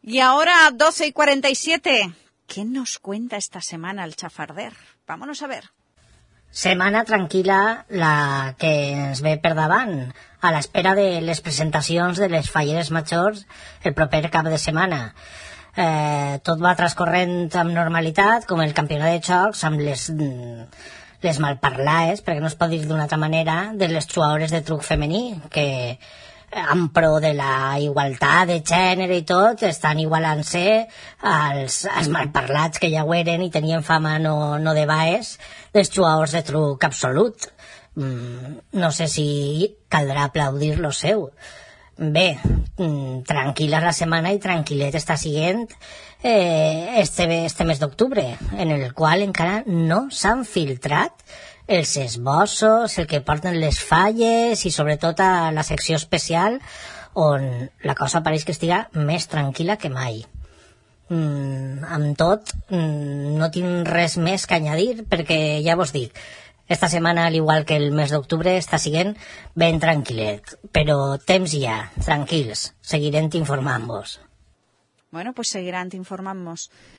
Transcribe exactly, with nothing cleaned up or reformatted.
Y ahora, doce y cuarenta y siete. ¿Qué nos cuenta esta semana el Chafarder? Vámonos a ver. Setmana tranquil·la la que ens ve per davant, a l'espera de les presentacions de les falleres majors el proper cap de setmana. Eh, tot va transcorrent amb normalitat, com el campionat de xocs, amb les, les malparlades, perquè no es pot dir d'una altra manera, de les jugadores de truc femení, que en pro de la igualtat de gènere i tot, estan igualant-se als, als malparlats que ja ho eren i tenien fama no, no de baes, dels jugadors de truc absolut. Mm, no sé si caldrà aplaudir lo seu. Bé, mm, tranquil·la la setmana i tranquil·let està siguent eh, este, este mes d'octubre, en el qual encara no s'han filtrat els esbossos, el que porten les falles i sobretot a la secció especial on la cosa pareix que estiga més tranquil·la que mai. Mm, amb tot, mm, no tinc res més que añadir perquè ja vos dic, esta setmana, al igual que el mes d'octubre, està siguent ben tranquil·let, però temps hi ha, tranquils, seguirem informant-vos. Bueno, pues seguirán informant-vos.